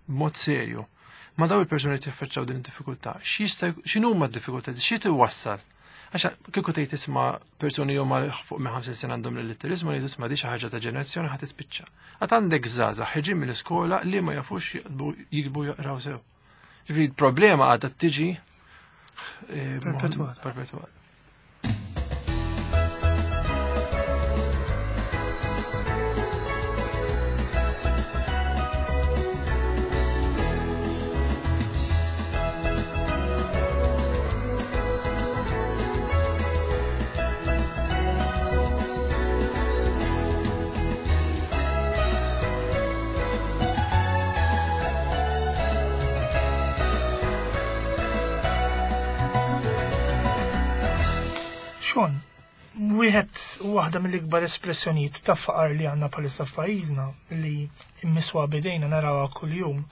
b'mod serju ma' daw il-persuni li tiffaċċaw din id-diffikultà. X'inhuma d-diffikultà, xi tiwassal? Għax kieku tgħid tisma' persuni huma fuq minn 50 sena għandhom l-litteriżmu li tisma' di xi ħaġa ta' ġenerazzjoni ħa tispiċċa. Għad għandek żgħażagħ ħeġin mill-iskola li ma jafux jiktbu jaqraw sew. Ġifieri l-problema għadha tiġi Perpetwata. Perpetwata. Sean, wieħed waħda mill-ikbar espressjonijiet ta' faqar li għandna bħalissa f'pajjiżna li mmiswa bidejna narawha kuljum,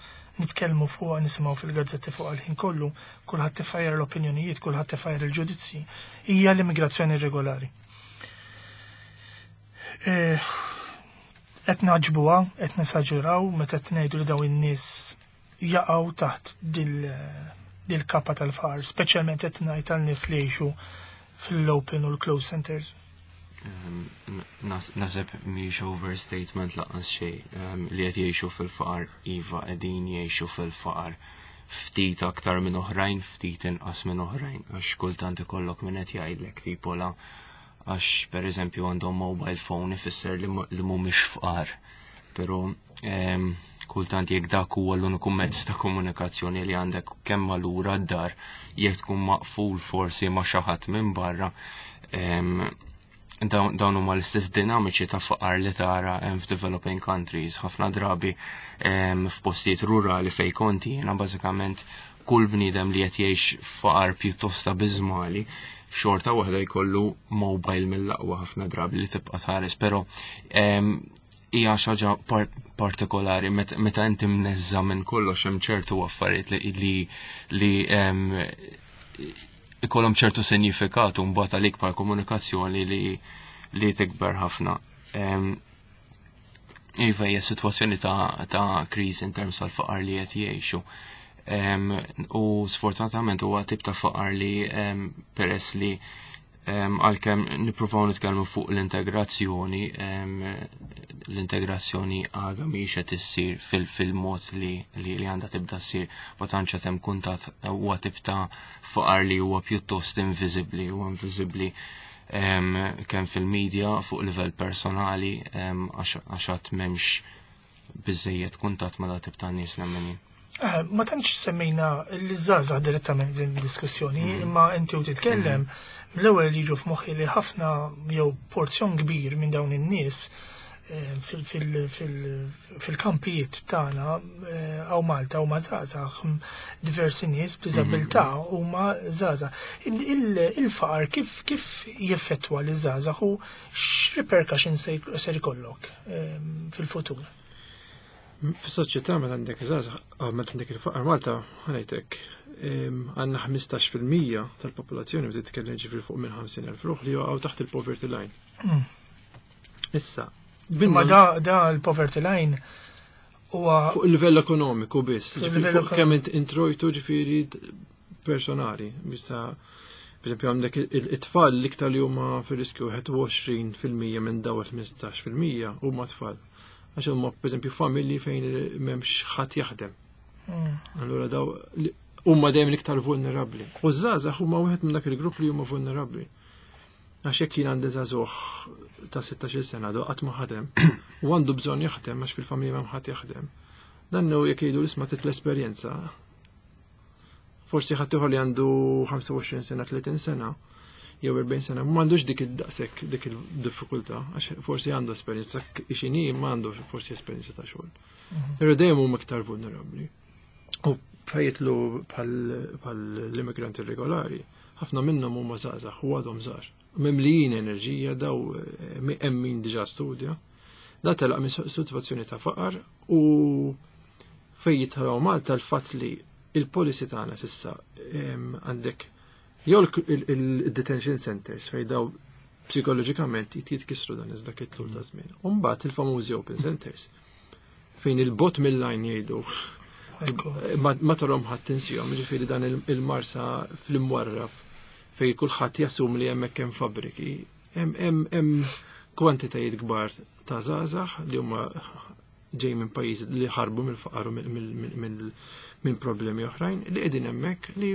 nitkellmu fuq, nisimgħu fil-gazzetti fuq għal-ħin kollu, kulħadd tifajjar l-opinjonijiet, kulħadd tifajjar il-ġudizzji, hija l-immigrazzjoni irregolari. Qed naġbuha, qed nesaġeraw meta qed ngħidu li dawn in-nies jaqgħu taħt dil-kapa tal-faqar, speċjalment qed ngħid għal nies li jgħixu fil-open u l-closed centers. Naħseb mhix overstatement lanqas xejn li qed jgħixu fil-faqar, iva, qegħdin jgħixu fil-faqar, ftit aktar minn oħrajn, ftit inqas minn oħrajn, għax kultant ikollok min qed jgħidlek tipo la għax per eżempju għandhom mobile phone ifisser li mhumiex fqar. Però kultant jekk dak huwa l-uniku mezz ta' komunikazzjoni li għandek kemm malura d-dar, jekk tkun maqful forsi ma' xi ħadd minn barra, dawn huma l-istess dinamiċi ta' faqar li tara hemm f'developing countries, ħafna drabi f'postijiet rurali fej konti, jiena bażikament kull bniedem li qed jgħix faqar pjuttost abiżmali, xorta waħda jkollu mobile mill-aqwa ħafna drabi li tibqa' tħares, però hija xi ħaġa partikolari meta inti mneżża minn kollox hemm ċertu affarijiet li ikollhom ċertu sinifikat u mbagħad għalik bħal komunikazzjoni li tikber ħafna. Iva, hija sitwazzjoni ta' kriżi in terms tal-faqar li qed jgħixu. U sfortunatament huwa tip ta' faqar li peress li għalkemm nippruvaw nitkellmu fuq l-integrazzjoni, l-integrazzjoni għadha mhix qed issir fil-mod li għandha tibda ssir, ma tantx qed hemm kuntatt, huwa tip ta' faqar li huwa pjuttost inviżibbli, huwa inviżibbli kemm fil-medja fuq livell personali, għax għad m'hemmx biżejjed kuntatt ma' dat tip ta' nies nemmen jien. Ma tantx semmejna l-żgħażagħ direttament din id-diskussjoni, imma inti u titkellem, l-ewwel li jiġu f'moħħi li ħafna jew porzjon kbir minn dawn in-nies fil-kampijiet tagħna hawn Malta huma żgħażagħ, diversi nies b'diżabilità huma żgħażagħ. Il-faqar kif jeffettwa liż-żgħażagħ u x'repercussions ser ikollok fil-futur? Fis-soċjetà meta għandek żgħażagħ, meta għandek il-faqar Malta, ħanejtek, għandna 15% tal-popolazzjoni meta titkellem ġifieri fuq minn 50,000 ruħ li jaqgħu taħt il-poverty line. Issa, Imma da l-poverty line huwa fuq il-livell ekonomiku biss, Fuq ġifieri il-livell fuq kemm introjtu ġifieri personali, bissa per esempio għandek it-tfal l-iktar li huma fir-riskju 21% minn daw il-15% huma tfal. Għax huma per esempio familji fejn m'hemmx ħadd jaħdem. Allura daw huma dejjem l-iktar vulnerabbli. U ż-żgħażagħ huma wieħed minn dak il-grupp li huma vulnerabbli. Għax jekk jien għandi żagħżugħ ta' 16-il sena do qatt ma ħadem u għandu bżonn jaħdem għax fil-familja m'hemm ħadd jaħdem. Dan hu jekk jgħidu l-isma' titla' esperjenza. Forsi ħadd ieħor li għandu 25 sena, 30 sena, jew 40 sena, ma għandux dik id-daqshekk dik il-diffikultà, għax forsi għandu esperjenza x'inhi ma għandu forsi esperjenza ta' xogħol. Però dejjem huma iktar vulnerabbli. U fejtlu bħal l-immigranti irregolari, ħafna minnhom huma żgħażagħ u għadhom żgħar. Mimlijin enerġija, daw hemm min diġà studja. Da telaq minn sitwazzjoni ta' faqar u fejn jitħaw Malta l-fatt li il-policy tagħna s'issa għandek jew il-detention centers fejn daw psikoloġikament jitkissru dan iżda tul ta' żmien. U mbagħad il-famużi open centers fejn il-bot mill-line jgħidu ma tarhom ħadd tinsihom, ġifieri dan il-Marsa fl-imwarrab fejn kulħadd jassum li hemmhekk hemm fabbriki, hemm kwantitajiet kbar ta' żgħażagħ li huma ġej minn pajjiż li ħarbu mill-faqar u minn problemi oħrajn li qegħdin hemmhekk li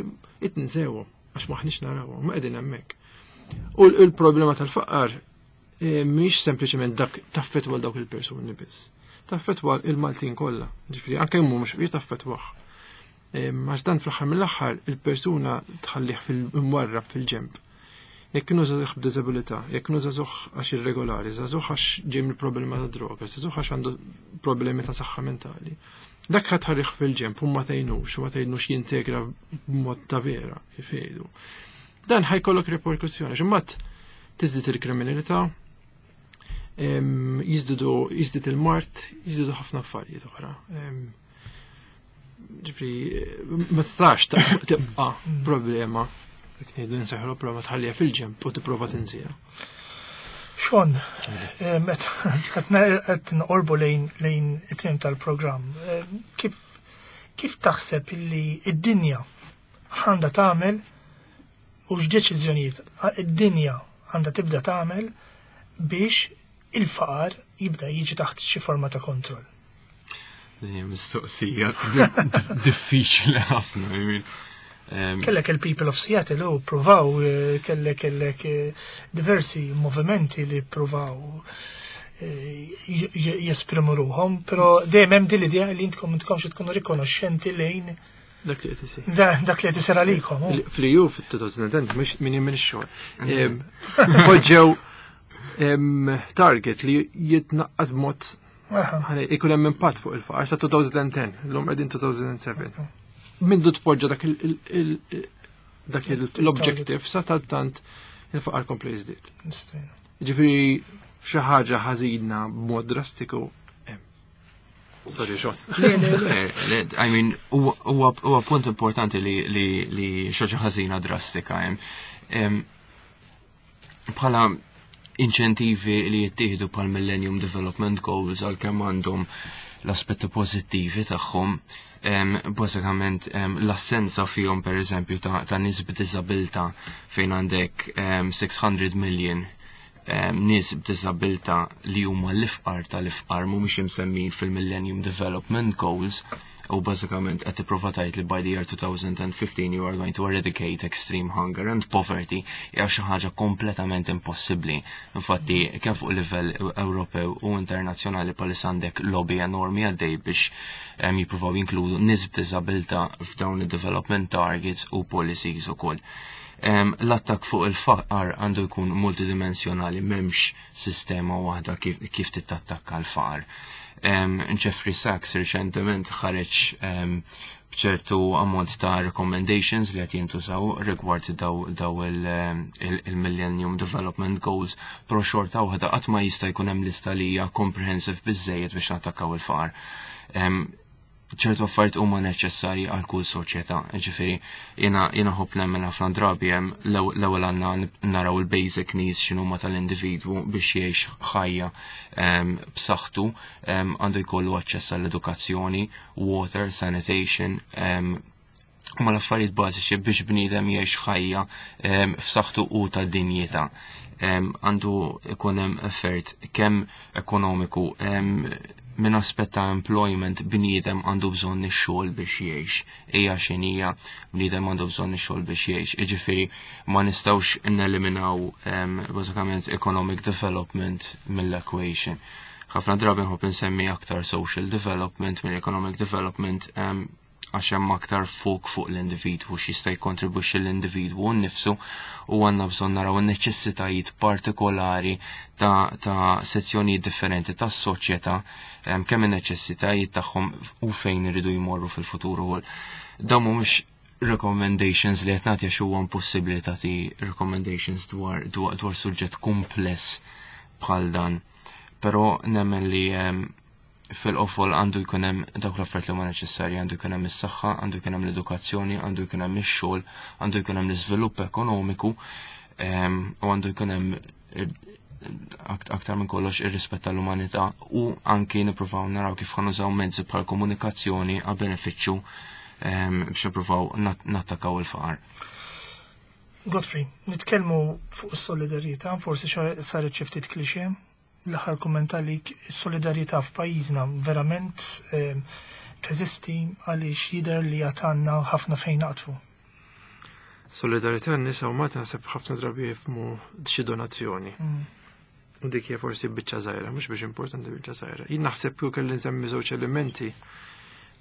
itnsewhom għax maħniex narawhom, ma qegħdin hemmhekk. U l-problema tal-faqar mhix sempliċement dak taffettwa dawk il-persuni biss. Taffettwa il-Maltin kollha, ġifieri anke huma mhux fqir taffettwah. Għax dan fl-aħħar mill-aħħar il-persuna tħallih fil-mwarrab fil-ġemp. Jekk kienu żagħżugħ b'diżabilità, jekk kienu żagħżugħ għax irregolari, żagħżugħ għax ġej mill-problema ta' droga, żagħżugħ għax għandu problemi ta' saħħa mentali. Dak ħadd ħarriħ fil-ġemp u ma tgħinux, u ma tgħinux jintegra b'mod ta' vera, kif jgħidu. Dan ħajkollok riperkussjoni, għax imbagħad Tiżdied il-kriminalità, jiżdiedu jiżdied il-mard, jiżdiedu ħafna affarijiet oħra. Ġifieri, ma tistax tibqa' problema, jekk ngħidu nseħħlu problema tħallija fil-ġenb u tipprova tinsieha. Sean, qed noqorbu lejn it-tmiem tal-programm. Kif taħseb illi id-dinja għandha tagħmel u x'deċiżjonijiet id-dinja għandha tibda tagħmel biex il-faqar jibda jiġi taħt xi forma ta' kontroll? Din hija mistoqsija diffiċli ħafna. I mean, Kellek il-People of Seattle u provaw, kellek diversi movimenti li provaw jesprimu ruħhom, però dejjem hemm din l-idea li intkom intkomx tkunu rikonoxxenti lejn Dak li qed isir. Dak li qed isir għalikom. Oh. Fl-EU fit-2010, mhux min minn ix-xogħol. Poġġew target li jitnaqqas b'mod ikun hemm impatt fuq il-faqar sa 2010, l-lum qegħdin 2007. Mindu tpoġġa dak l-objective sa tant il-faqar kompli jiżdied. Ġifieri xi ħaġa ħażina b'mod drastiku hemm. Sorry, Sean. Le, I mean, huwa punt importanti li xi ħaġa ħażina drastika hemm. Bħala inċentivi li jittieħdu pal Millennium Development Goals, għalkemm għandhom l-aspetti pożittivi tagħhom, bażikament l-assenza fihom, per eżempju, ta' nies b'diżabilità, fejn għandek 600 million nies b'diżabilità li huma l-ifqar tal-ifqar, mhumiex imsemmin fil-Millennium Development Goals, u bażikament qed tipprova tgħid li by the year 2015 you are going to eradicate extreme hunger and poverty, hija xi ħaġa kompletament impossibbli. Infatti, kemm fuq livell Ewropew u internazzjonali bħalissa għandek lobby enormi għaddej biex jippruvaw jinkludu nies b'diżabilità f'dawn id-development targets u policies ukoll. L-attak fuq il-faqar għandu jkun multidimensjonali, m'hemmx sistema waħda kif tittattakka l-faqar. Jeffrey Sachs reċentement ħareġ bċertu ammont ta' recommendations li qed jintużaw rigward daw il-Millennium Development Goals, però xorta waħda qatt ma jista' jkun hemm lista li hija comprehensive biżejjed biex nattakkaw il-faqar. ċertu affarijiet huma neċessarji għal kull soċjetà. Ġifieri jiena ħobb nemmen ħafna drabi hemm l-ewwel għandna naraw il-basic needs x'inhuma tal-individwu biex jgħix ħajja b'saħħtu, għandu jkollu aċċess għall-edukazzjoni, water, sanitation, huma l-affarijiet bażiċi biex bniedem jgħix ħajja f'saħħtu u ta' dinjità. Għandu ikun hemm effort kemm ekonomiku, minn aspett ta' employment, bniedem għandu bżonn ix-xogħol biex jgħix. Hija x'inhija, bniedem għandu bżonn ix-xogħol biex jgħix. Jiġifieri ma nistgħux neliminaw bażikament economic development mill-equation. Ħafna drabi nħobb insemmi aktar social development mill economic development, għax hemm aktar fok fuq l-individwu, x'jista' jikkontribwixxi l-individwu nnifsu, u għandna bżonn naraw in-neċessitajiet partikolari ta' sezzjonijiet differenti tas-soċjetà, kemm in-neċessitajiet tagħhom u fejn iridu jmorru fil-futur ukoll. Dawn mhumiex recommendations li qed nagħti għax huwa impossibbli tagħti recommendations dwar suġġett kumpless bħal dan. Però nemmen li fil-qofol għandu jkun hemm dawk l-affarijiet li huma neċessarji, għandu jkun hemm is-saħħa, għandu jkun hemm l-edukazzjoni, għandu jkun hemm ix-xogħol, għandu jkun hemm l-iżvilupp ekonomiku, u għandu jkun hemm aktar minn kollox ir-rispett tal-umanità, u anki nippruvaw naraw kif ħa nużaw mezzi bħal komunikazzjoni għal benefiċċju biex nippruvaw nattakaw il-faqar. Godfrey, nitkellmu fuq is-solidarjetà, forsi saret xi ftit klixè. L-aħħar kumment għalik, is-solidarjetà f'pajjiżna verament teżisti, għaliex jidher li għatanna ħafna fejn naqtfu? Solidarjetà n-nisa u Malta naħseb ħafna drabi jifhmu xi donazzjoni. U dik hija forsi biċċa żgħira, mhux biex importanti, biċċa żgħira. Jien naħseb kieku kelli nsemmi żewġ elementi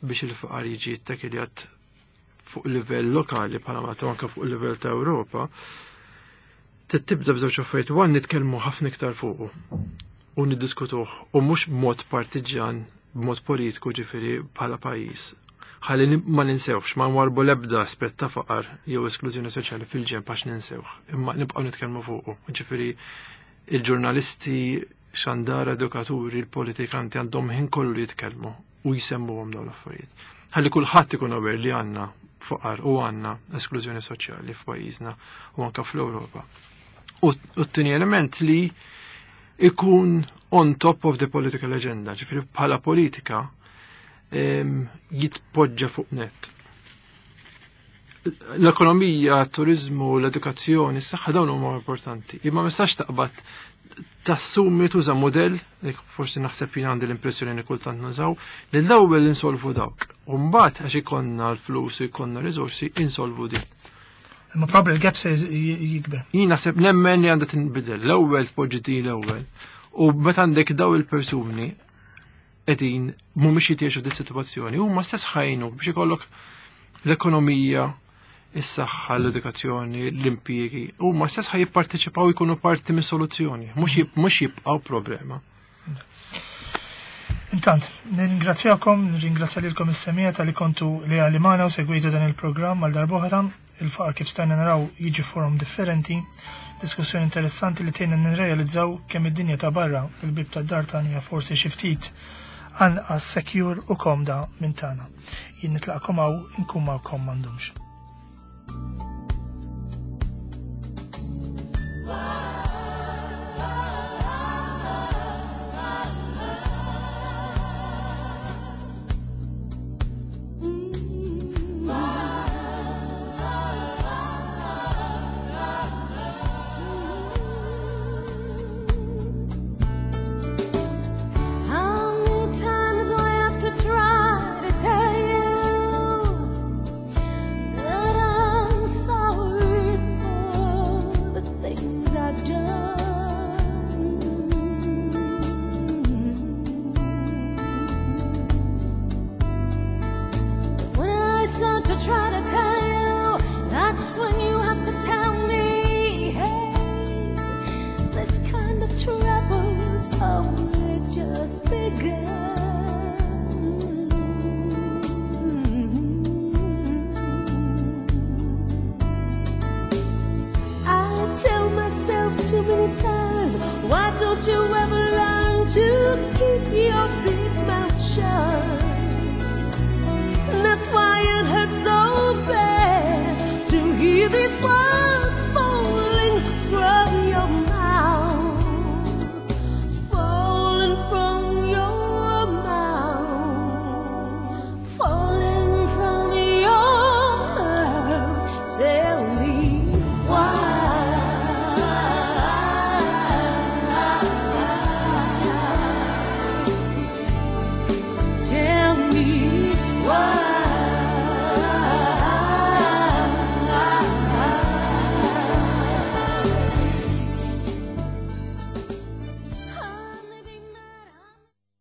biex il-faqar jiġi ttakkiljat fuq livell lokali bħala Malta u anke fuq livell ta' Ewropa, tibda b'żewġ affarijiet. One, nitkellmu ħafna iktar fuqu u niddiskutuh, u mhux b'mod partiġjan, b'mod politiku, ġifieri bħala pajjiż. Ħalli ma ninsewx, ma nwarbu l-ebda aspett ta' faqar jew esklużjoni soċjali fil-ġenb għax ninsewh, imma nibqgħu nitkellmu fuqu. Ġifieri il-ġurnalisti, xandara, edukaturi, il-politikanti għandhom ħin kollu jitkellmu u jsemmuhom dawn l-affarijiet. Ħalli kulħadd ikun aware li għandna faqar u għandna esklużjoni soċjali f'pajjiżna u anke fl-Ewropa. U t-tieni element li ikun on top of the political agenda, ġifieri bħala politika jitpoġġa fuq net. L-ekonomija, t-turizmu, l-edukazzjoni, s-saħħa dawn huma importanti. Imma ma nistax taqbad tassumi tuża modell, li forsi naħseb jien għandi l-impressjoni li kultant nużaw, li l-ewwel insolvu dawk. U mbagħad għax ikollna l-flus u jkollna riżorsi insolvu din. Imma probably l-gap se jikber. Jien naħseb nemmen li għandha tinbidel. L-ewwel tpoġġi din l-ewwel. U meta għandek daw il-persuni qegħdin mhumiex jitgħixu di sitwazzjoni, huma stess ħajnu biex ikollok l-ekonomija, is-saħħa, l-edukazzjoni, l-impjiegi, huma stess ħaj jipparteċipaw jkunu parti mis-soluzzjoni, mhux jibqgħu problema. Intant, nirringrazzjakom, nirringrazzja lilkom is-semija tal-li kontu li magħna u segwitu dan il-programm għal darb'oħra. Il-faqar kif stajna naraw jiġi forom differenti, diskussjoni interessanti li tgħinna nirrealizzaw kemm id-dinja ta' barra il-bib tad-dar tagħna forsi xi ftit anqas secure u komda minn tagħna. Jien nitlaqkom hawn inkun magħkom m'għandhomx.